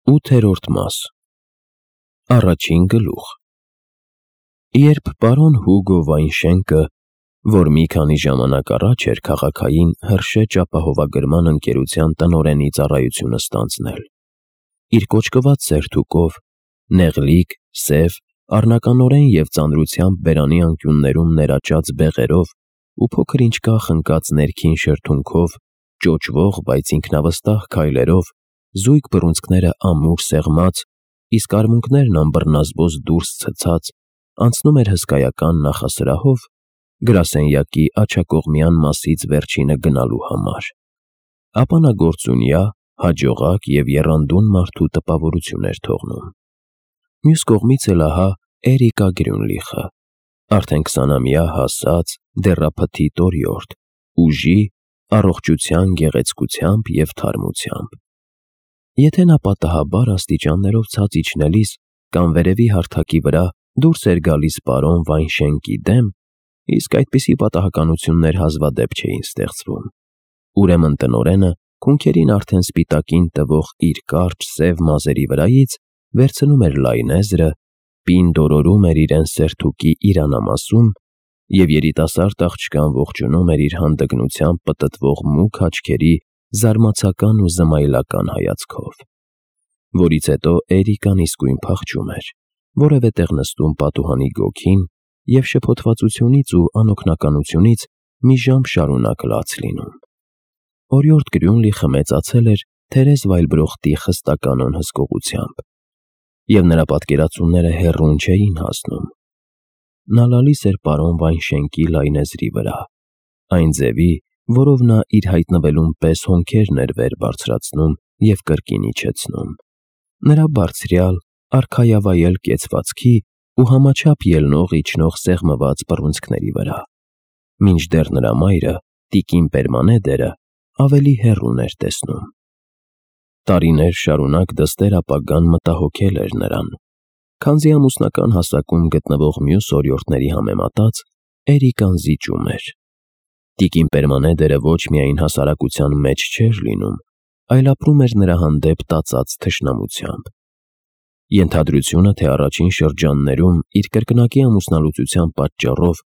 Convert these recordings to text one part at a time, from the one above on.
8-րդ մաս Առաջին գլուխ Երբ պարոն Հուգո Վայնշենկը, որ մի քանի ժամանակ առաջ էր քաղաքային Հրշեջ ապահովագրման ընկերության տնօրենի ծառայությունը ստանձնել, իր կոճկված սերթուկով, նեղլիկ, սև, առնականորեն և ծանրությամբ բերանի անկյուններում ներաճած բեղերով ու փոքր-ինչ կախ ընկած ներքին շրթունքով, ճոճվող, բայց ինքնավստահ քայլերով, զույգ բռունցքները ամուր սեղմած, իսկ արմունկներն անբռնազբոս դուրս ցցած, անցնում էր հսկայական նախասրահով գրասենյակի աջակողմյան մասից վերջինը գնալու համար, ապա նա գործունյա, հաջողակ և եռանդուն մարդու տպավորություն էր թողնում։ Մյուս կողմից էլ ահա Էրիկա Գրյունլիխը, արդեն 20-ամյա հասած, դեռափթի տորյորդ, ուժի, առողջության գեղեցկությամբ և թարմությամբ։ Եթե նա պատահաբար աստիճաններով ցած իջնելիս կամ վերևի հարթակի վրա դուրս էր գալիս պարոն Վայնշենկի դեմ, իսկ այդպիսի պատահականություններ հազվադեպ չէին ստեղծվում, ուրեմն տնօրենը քունքերին արդեն սպիտակին տվող իր կարճ սև մազերի վրայից վերցնում էր լայնեզրը, պինդ օրորում էր իրեն սերթուկի իրանամասում և երիտասարդ աղջկան ողջունում էր իր հանդգնությամբ պտտվող մուգ աչքերի զարմացական ու զմայլական հայացքով, որից հետո Էրիկան իսկույն փախչում էր, որևէ տեղ նստում պատուհանի գոգին և շփոթվածությունից ու անօգնականությունից մի ժամ շարունակ լաց լինում։ Օրիորդ Գրյունլիխը մեծացել էր Թերեզ Վայլբրոխտի խստականոն հսկողությամբ, և նրա պատկերացումները հեռուն չէին հասնում։ Նա լալիս էր պարոն Վայնշենկի լայնեզրի վրա, այն ձևի, որով նա իր հայտնվելուն պես հոնքերն էր վեր բարձրացնում և կրկին իջեցնում, նրա բարձրյալ, արքայավայել կեցվածքի ու համաչափ ելնող-իջնող սեղմված բռունցքների վրա, մինչդեռ նրա մայրը, տիկին Պերմանեդերը, ավելի հեռուն էր տեսնում։ Տարիներ շարունակ դստեր ապագան մտահոգել էր նրան, քանզի ամուսնական հասակում գտնվող մյուս օրիորդների համեմատած Էրիկան զիջում էր։ Տիկին Պերմանեդերը ոչ միայն հասարակության մեջ չէր լինում, այլ ապրում էր նրա հանդեպ տածած թշնամությամբ։ Ենթադրությունը, թե առաջին շրջաններում իր կրկնակի ամուսնալուծության պատճառով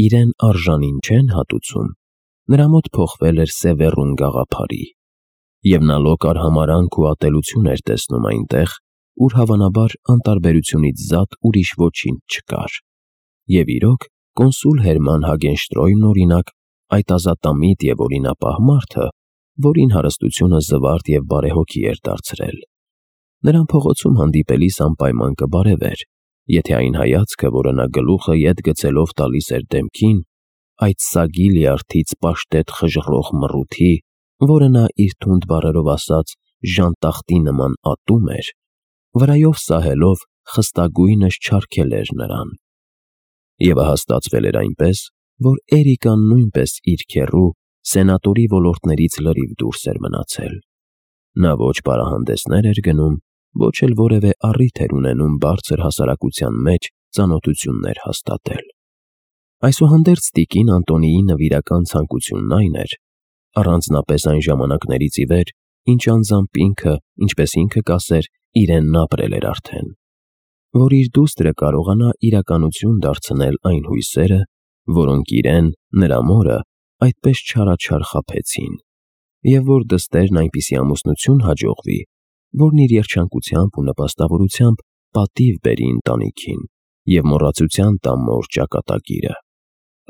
իրեն արժանին չեն հատուցում, նրա մոտ փոխվել էր սևեռուն գաղափարի, և նա լոկ արհամարհանք ու ատելություն էր տեսնում այնտեղ, ուր հավանաբար անտարբերությունից զատ ուրիշ ոչինչ չկար։ Եվ իրոք, կոնսուլ Հերման Հագենշտրոյմն օրինակ, այդ ազատամիտ և օրինապահ մարդը, որին հարստությունը զվարթ և բարեհոգի էր դարձրել, նրան փողոցում հանդիպելիս անպայման կբարևեր, եթե այն հայացքը, որը նա գլուխը ետ գցելով տալիս էր դեմքին, այդ սագի լյարդից պաշտետ խժռող մռութի, որը նա իր թունդ բառերով ասած ժանտախտի նման ատում էր, վրայով սահելով խստագույնս չարգել էր նրան։ Եվ ահա ստացվել էր այնպես, որ Էրիկան նույնպես իր քեռու սենատորի ոլորտներից լրիվ դուրս էր մնացել։ Նա ոչ պարահանդեսներ էր գնում, ոչ էլ որևէ առիթ էր ունենում բարձր հասարակության մեջ ծանոթություններ հաստատել։ Այսուհանդերձ տիկին Անտոնիի նվիրական ցանկությունն այն էր, առանձնապես այն ժամանակներից ի վեր, ինչ անձամբ ինքը, ինչպես ինքը կասեր, իրենն ապրել էր արդեն, որ իր դուստրը կարողանա իրականություն դարձնել այն հույսերը, որոնք իրեն, նրա մորը, այդպես չարաչար խաբեցին, և որ դստերն այնպիսի ամուսնություն հաջողվի, որն իր երջանկությամբ ու նպաստավորությամբ պատիվ բերի ընտանիքին և մոռացության տա մոր ճակատագիրը։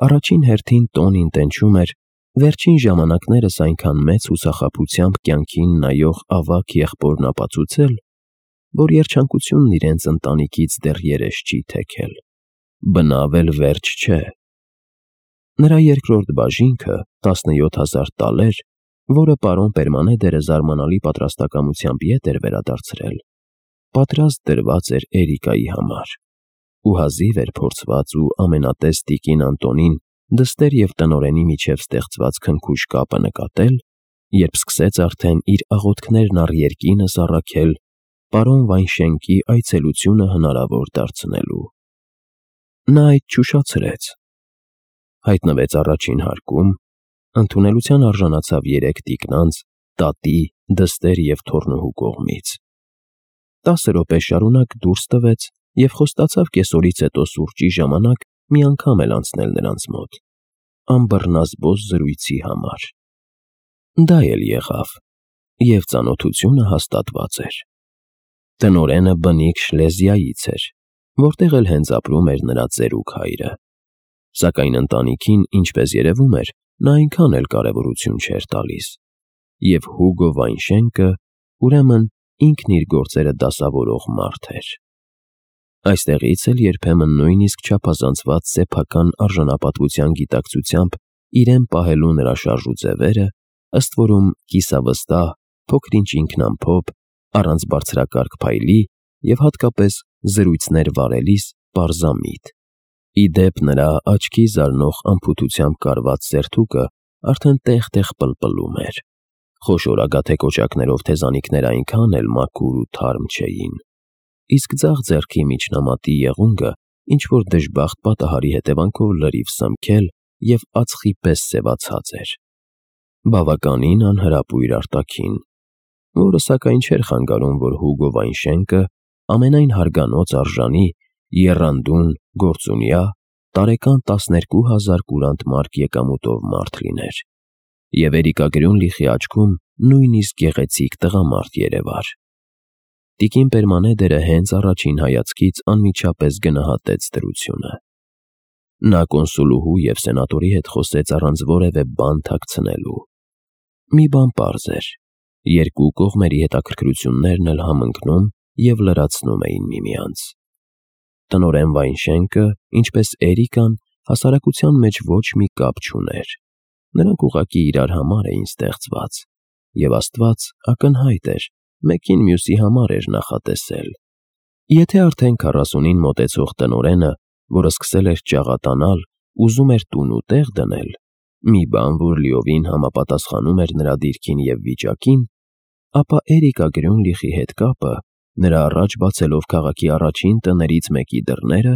Առաջին հերթին տոնին տենչում էր վերջին ժամանակներս այնքան մեծ հուսախաբությամբ կյանքին նայող ավագ եղբորն ապացուցել, որ երջանկությունն իրենց ընտանիքից դեռ երես չի թեքել, բնավ էլ վերջ չէ։ Նրա երկրորդ բաժինքը 17,000 տալեր, որը պարոն Պերմանեդերը զարմանալի պատրաստակամությամբ ետ էր վերադարձրել, պատրաստ դրված էր Էրիկայի համար, ու հազիվ էր փորձված ու ամենատես տիկին Անտոնին դստեր և տնօրենի միջև ստեղծված քնքուշ կապը նկատել, երբ սկսեց արդեն իր աղոթքներն առ երկինս առաքել պարոն Վայնշենկի այցելությունը հնարավոր դարձնելու։ Նա այդ չուշացրեց։ Հայտնվեց առաջին հարկում, ընդունելության արժանացավ 3 տիկնանց, տատի, դստեր և թոռնուհու կողմից։ 10 րոպե շարունակ դուրս տվեց և խոստացավ կեսօրից հետո սուրճի ժամանակ մի անգամ էլ անցնել նրանց մոտ, անբռնազբոսը զրույցի համար։ Դա էլ եղավ, և ծանոթությունը հաստատված էր։ Տնօրենը բնիկ Շլեզիայից էր, որտեղ էլ հենց ապրում էր նրա ծերուկ հայրը, սակայն ընտանիքին, ինչպես երևում էր, նա այնքան էլ կարևորություն չէր տալիս, և Հուգո Վայնշենկը, ուրեմն, ինքն իր գործերը դասավորող մարդ էր։ Այստեղից էլ երբեմն նույնիսկ չափազանցված սեփական արժանապատվության գիտակցությամբ իրեն պահելու նրա շարժուձևերը, ըստ որում կիսավստահ, փոքր-ինչ ինքնամփոփ, առանց բարձրակարգ փայլի և հատկապես զրույցներ վարելիս պարզամիտ։ Ի դեպ նրա աչքի զարնող անփութությամբ կարված սերթուկը արդեն տեղ-տեղ պլպլում էր, խոշոր ագաթե կոճակներով թեզանիքները այնքան էլ մաքուր ու թարմ չէին, իսկ ձախ ձեռքի միջնամատի եղունգը ինչ-որ դժբախտ պատահարի հետևանքով լրիվ սնմքել և ածխի պես սևացած էր։ Բավականին անհրապույր արտաքին, որը սակայն չէր խանգարում, որ Հուգո Վայնշենկը ամենայն հարգանոց արժանի, եռանդուն, գործունյա, տարեկան 12,000 կուրանտ մարկ եկամուտով մարդ լիներ, և Էրիկա Գրյունլիխի աչքում նույնիսկ գեղեցիկ տղամարդ երևար։ Տիկին Պերմանեդերը հենց առաջին հայացքից անմիջապես գնահատեց դրությունը։ Նա կոնսուլուհու և սենատորի հետ խոսեց առանց որևէ բան թաքցնելու։ Մի բան պարզ էր. երկու կողմերի հետաքրքրություններն էլ համընկնում և լրացնում էին միմյանց։ Տնօրեն Վայնշենկը, ինչպես Էրիկան, հասարակության մեջ ոչ մի կապ չուներ։ Նրանք ուղղակի իրար համար էին ստեղծված, և Աստված ակնհայտ էր, մեկին մյուսի համար էր նախատեսել։ Եթե արդեն 40-ին մոտեցող տնօրենը, որը սկսել էր ճաղատանալ, ուզում էր տուն ու տեղ դնել, մի բան, որ լիովին համապատասխանում էր նրա դիրքին և վիճակին, ապա Էրիկա Գրյունլիխի հետ կապը, նրա առաջ բացելով քաղաքի առաջին տներից մեկի դռները,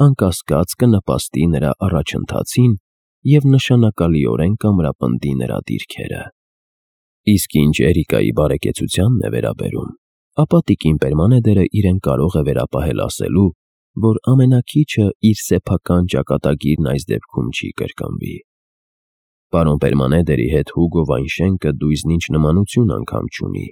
անկասկած կնպաստի նրա առաջընթացին և նշանակալիորեն կամրապնդի նրա դիրքերը։ Իսկ ինչ Էրիկայի բարեկեցությանն է վերաբերում, ապա տիկին Պերմանեդերը իրեն կարող է վերապահել ասելու, որ ամենաքիչը իր սեփական ճակատագիրն այս դեպքում չի կրկնվի։ Պարոն Պերմանեդերի հետ Հուգո Վայնշենկը դույզնինչ նմանություն անգամ չունի,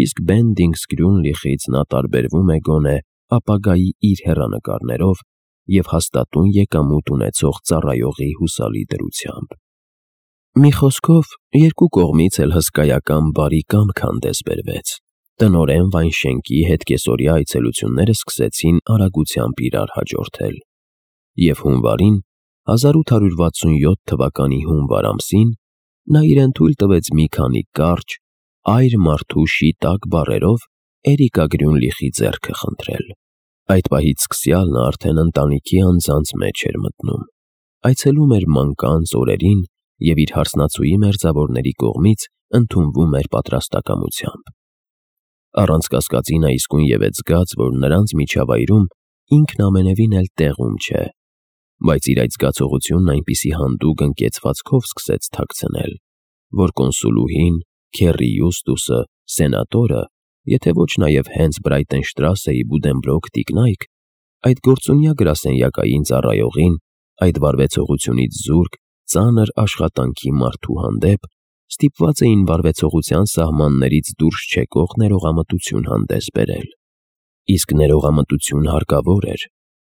իսկ Բենդինգս Գրյունլիխից նա տարբերվում է գոնե ապագայի իր հեռանկարներով և հաստատուն եկամուտ ունեցող ծառայողի հուսալի դրությամբ։ Մի խոսքով, երկու կողմից էլ հսկայական բարի կամք հանդես բերվեց։ Տնօրեն Վայնշենկի հետկեսօրյա այցելությունները սկսեցին արագությամբ իրար հաջորդել, և հունվարին, 1867 թվականի հունվար ամսին, նա իրեն թույլ տվեց մի քանի կարճ, այր մարդու շիտակ բառերով Էրիկա Գրյունլիխի ձեռքը խնդրել։ Այդ պահից սկսյալ նա արդեն ընտանիքի անձանց մեջ էր մտնում, այցելում էր մանկանց օրերին և իր հարսնացուի մերձավորների կողմից ընդունվում էր պատրաստակամությամբ։ Առանց կասկածի նա իսկույն ևեթ զգաց, որ նրանց միջավայրում ինքն ամենևին էլ տեղում չէ, բայց իր այդ զգացողությունն այնպիսի հանդուգն կեցվածքով սկսեց թաքցնել, որ կոնսուլուհին, Քեռի Յուստուսը, սենատորը, եթե ոչ նաև հենց Բրայտենշտրասեի Բուդենբրոք տիկնայք, այդ գործունյա գրասենյակային ծառայողին, այդ վարվեցողությունից զուրկ, ծանր աշխատանքի մարդու հանդեպ ստիպված էին վարվեցողության սահմաններից դուրս չեկող ներողամտություն հանդես բերել։ Իսկ ներողամտություն հարկավոր էր,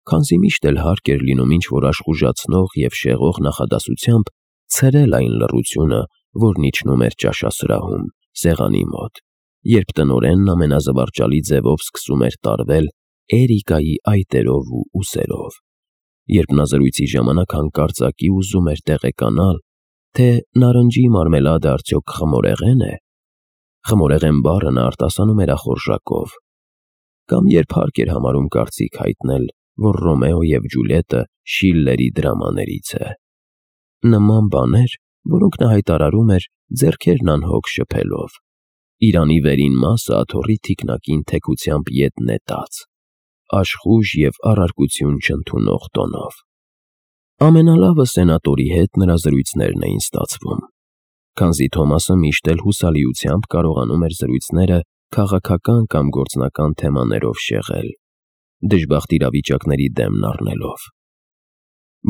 քանզի միշտ էլ հարկ էր լինում ինչ-որ աշխուժացնող և շեղող նախադասությամբ ցրել այն լռությունը, որն իջնում էր ճաշասրահում, սեղանի մոտ, երբ տնօրենն ամենազվարճալի ձևով սկսում էր տարվել Էրիկայի այտերով ու ուսերով, երբ նա զրույցի ժամանակ հանկարծակի ուզում էր տեղեկանալ, թե նարնջի մարմելադը արդյոք խմորեղեն է, խմորեղեն բառը նա արտասանում էր ախորժակով, կամ երբ հարկ էր համարում կարծիք հայտնել, որ Ռոմեո և Ջուլիետը Շիլլերի դրամաներից է։ Նման բաներ, որոնք նա հայտարարում էր ձեռքերն անհոգ շփելով, Իրանի վերին մասը աթոռի թիկնակին թեքությամբ ետ նետած, աշխույժ և առարկություն չընդունող տոնով։ Ամենալավը սենատորի հետ նրա զրույցներն էին ստացվում, քանզի Թոմասը միշտ էլ հուսալիությամբ կարողանում էր զրույցները քաղաքական կամ գործնական թեմաներով շեղել, դժբախտ իրավիճակների դեմն առնելով։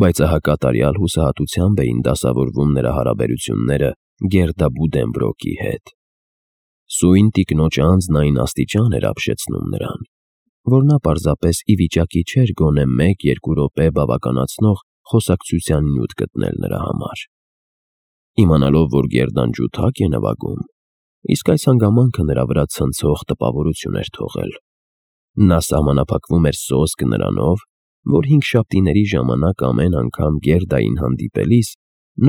Բայց ահա կատարյալ հուսահատությամբ էին դասավորվում նրա հարաբերությունները Գերդա Բուդենբրոկի հետ։ Սույն տիկնոջ անձն այն աստիճան էր ապշեցնում նրան, որ նա պարզապես ի վիճակի չէր գոնե 1-2 րոպե բավականացնող խոսակցության նյութ գտնել նրա համար։ Իմանալով, որ Գերդան ջութակ է նվագում, իսկ այս հանգամանքը նրա վրա ցնցող տպավորություն էր թողել, նա սահմանափակվում էր սոսկ նրանով, որ 5 շաբթիների ժամանակ ամեն անգամ Գերդային հանդիպելիս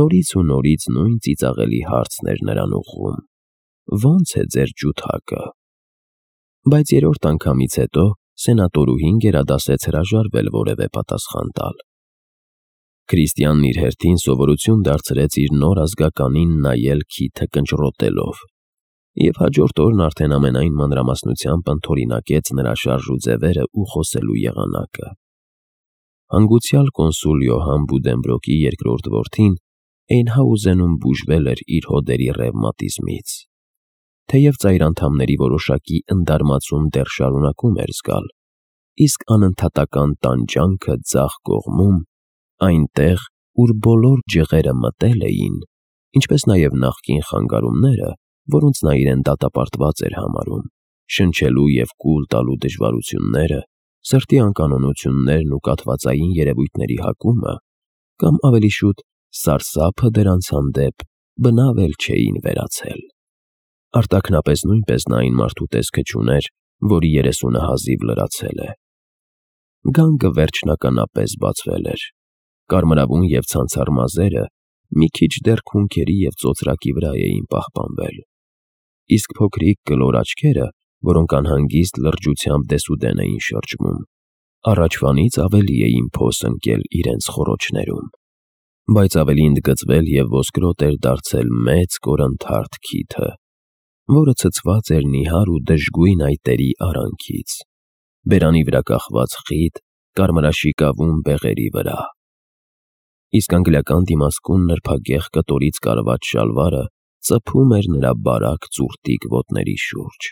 նորից ու նորից նույն ծիծաղելի հարցն էր նրան ուղղում. «Ո՞նց է ձեր ջութակը»։ Բայց երրորդ անգամից հետո սենատորուհին գերադասեց հրաժարվել որևէ պատասխան տալ։ Քրիստիանն իր հերթին սովորություն դարձրեց իր նոր ազգականին նայել քիթը կնճռոտելով, և հաջորդ օրն արդեն ամենայն մանրամասնությամբ ընդօրինակեց նրա շարժու ձևերը ու խոսելու եղանակը։ Հանգուցյալ կոնսուլ Յոհան Բուդենբրոկի երկրորդ որդին Էյնհաուզենում բուժվել էր իր հոդերի ռևմատիզմից։ Թեև ծայր անդամների որոշակի ընդարմացում դեռ շարունակում էր զգալ, իսկ անընդհատական տանջանքը ձախ կողմում, այնտեղ, ուր բոլոր ջղերը մտել էին, ինչպես նաև նախկին խանգարումները, որոնց նա իրեն դատապարտված էր համարում, շնչելու և կուլ տալու դժվարությունները, սրտի անկանոնություններն ու կաթվածային երևույթների հակումը, կամ ավելի շուտ սարսափը դրանց հանդեպ բնավ էլ չէին վերացել։ Արտաքնապես նույնպես նա այն մարդու տեսքը չուներ, որի 30-ը հազիվ լրացել է։ Գանգը վերջնականապես բացվել էր։ Կարմրավուն և ցանցառ մազերը մի քիչ դեռ քունքերի և ծոծրակի վրա էին պահպանվել, իսկ փոքրիկ կլոր աչքերը, որոնք անհանգիստ լրջությամբ դեսուդեն էին շրջվում, առաջվանից ավելի էին փոս ընկել իրենց խոռոչներում, բայց ավելի ընդգծվել և ոսկրոտ էր դարձել մեծ կորնթարթ քիթը, որը ցցված էր նիհար ու դժգույն այտերի արանքից, բերանի վրա կախված խիտ, կարմրաշիկավուն բեղերի վրա։ Իսկ անգլիական դիմասկուն նրբագեղ կտորից կարված շալվարը ծփում էր նրա բարակ ծուրտիկ ոտների շուրջ։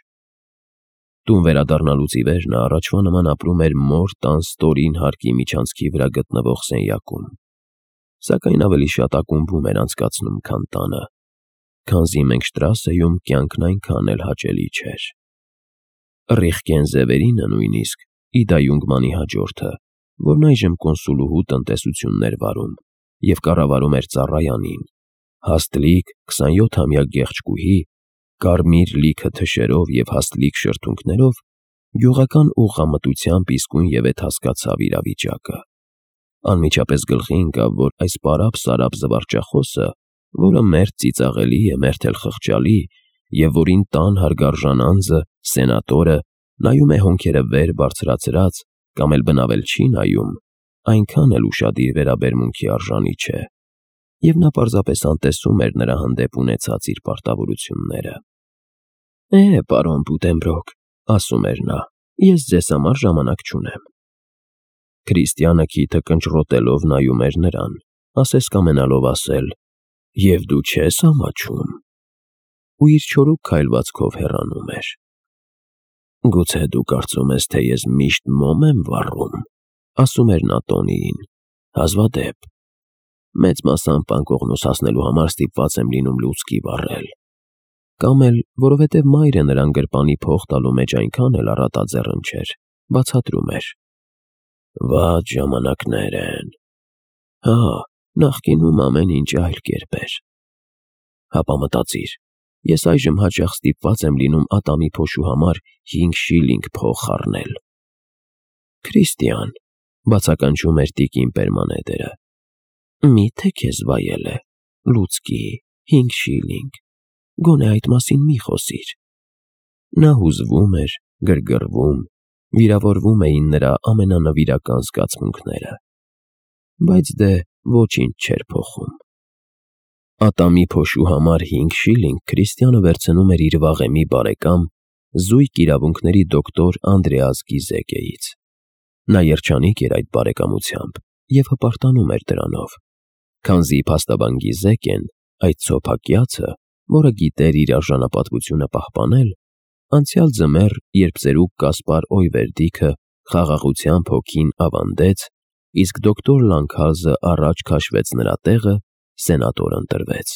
Տուն վերադառնալուց ի վեր նա առաջվա նման ապրում էր մոր տան ստորին հարկի միջանցքի վրա գտնվող սենյակում, սակայն ավելի շատ ակումբում էր անցկացնում, քան տանը, քանզի Մենգշտրասեում կյանքն այնքան էլ հաճելի չէր։ Ռիխկենզևերինը նույնիսկ, Իդա Յունգմանի հաջորդը, որն այժմ կոնսուլուհու տնտեսությունն էր վարում և կառավարում էր ծառայանին, հաստլիկ 27-ամյա գեղեցկուհի, կարմիր լիքը թշերով և հաստլիկ շրթունքներով, գյուղական ուղղամտությամբ իսկույնևեթ հասկացավ իրավիճակը։ Անմիջապես գլխի ընկավ, որ այս պարապ-սարապ զվարճախոսը, որը մերթ ծիծաղելի է, մերթ էլ խղճալի, և որին տան հարգարժան անձը, սենատորը, նայում է հոնքերը վեր բարձրացրած կամ էլ բնավ էլ չի նայում, այնքան էլ ուշադիր վերաբերմունքի արժանի չէ, և նա պարզապես անտեսում էր նրա հանդեպ ունեցած իր պարտավորությունները։ Պարոն Բուդենբրոկ, ասում էր նա, ես ձեզ համար ժամանակ չունեմ։ Քրիստիանը քիթը կնճռոտելով նայում էր նրան, ասես կամենալով ասել. «Եվ դու չես ամաչում», ու իր չորուկ քայլվածքով հեռանում էր։ «Գուցե դու կարծում ես, թե ես միշտ մոմ եմ վառում», ասում էր նա Տոնիին, հազվադեպ։ «Մեծ մասամբ անկողնուս հասնելու համար ստիպված եմ լինում լուցկի վառել»։ Կամ էլ, որովհետև մայրը նրան գրպանի փող տալու մեջ այնքան էլ առատաձեռն չէր, բացատրում էր. «Վատ ժամանակներ են։ Հա, նախկինում ամեն ինչ այլ կերպ էր։ Հապա մտածիր, ես այժմ հաճախ ստիպված եմ լինում ատամի փոշու համար 5 շիլինգ փող խառնել»։ «Քրիստիան», բացականչում էր տիկին Պերմանեդերը, «մի՞թե քեզ վայել է, լուցկի, 5 շիլինգ, գոնե այդ մասին մի խոսիր»։ Նա հուզվում էր, գրգռվում, վիրավորվում էին նրա ամենանվիրական զգացմունքները, բայց դե ոչինչ չէր փոխում։ Ատամի փոշու համար 5 շիլինգ Քրիստիանը վերցնում էր իր վաղեմի բարեկամ, զույգ իրավունքների դոկտոր Անդրեաս Գիզեկեից։ Նա երջանիկ էր այդ բարեկամությամբ և հպարտանում էր դրանով, քանզի փաստաբան Գիզեկեն, այդ ցոփակյացը, որը գիտեր իր արժանապատվությունը պահպանել, Անցյալ ձմեռ, երբ ծերուկ Կասպար Օյվերդիքը խաղաղությամբ հոգին ավանդեց, իսկ դոկտոր Լանքհազը առաջ քաշվեց նրա տեղը, սենատոր ընտրվեց։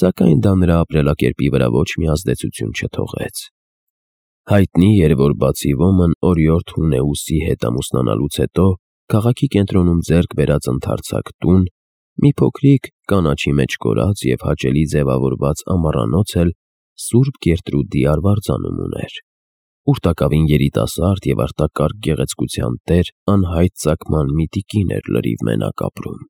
Սակայն դա նրա ապրելակերպի վրա ոչ մի ազդեցություն չթողեց։ Հայտնի էր, որ բացի ոմն օրիորդ Հունեուսի հետ ամուսնանալուց հետո քաղաքի կենտրոնում ձեռք բերած ընդարձակ տուն, մի փոքրիկ կանաչի մեջ կորած և հաճելի ձևավորված ամառանոց էլ Սուրբ Գերտրուդի արվարձանում ուներ, ուր տակավին երիտասարդ և արտակարգ գեղեցկության տեր անհայտ ծագման մի տիկին էր լրիվ մենակ ապրում։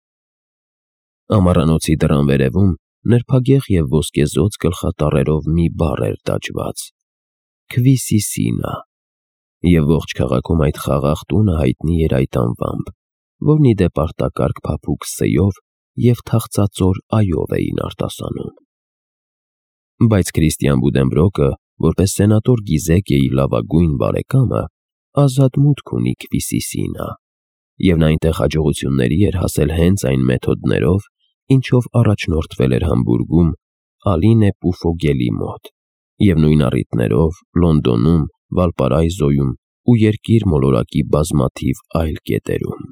Ամառանոցի դռան վերևում նրբագեղ և ոսկեզօծ գլխատառերով մի բառ էր տաճված. Քվիսիսինա, և ողջ քաղաքում այդ խաղաղ տունը հայտնի էր այդ անվամբ, որն ի դեպ արտակարգ փափուկ սեյով և թախծածոր այով էին արտասանում։ Բայց Քրիստիան Բուդենբրոկը, որպես սենատոր Գիզեկիեի լավագույն բարեկամը, ազատ մուտք ունի Քվիսիսինա, և նա այնտեղ հաջողությունների էր հասել հենց այն մեթոդներով, ինչով առաջնորդվել էր Համբուրգում Ալինե Պուֆոգելի մոտ, և նույն առիթներով Լոնդոնում, Վալպարայզոյում ու երկիր մոլորակի բազմաթիվ այլ կետերում։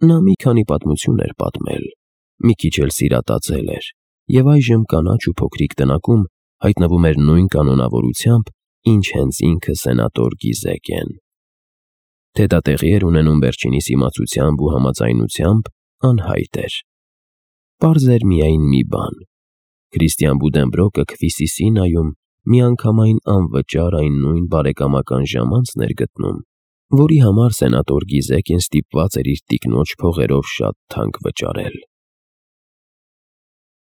Նա մի քանի պատմություն էր պատմել, մի քիչ էլ սիրատացել էր, և այժմ կանաչ ու փոքրիկ տնակում հայտնվում էր նույն կանոնավորությամբ, ինչ հենց ինքը սենատոր Գիզեկեն։ Թե դա տեղի էր ունենում վերջինիս իմացությամբ ու համաձայնությամբ, անհայտ էր։ Պարզ էր միայն մի բան. Քրիստիան Բուդենբրոկը Քվիսիսինայում միանգամայն անվճար այն նույն բարեկամական ժամանցն էր գտնում, որի համար սենատոր Գիզեկեն ստիպված էր իր տիկնոջ փողերով շատ թանկ վճարել։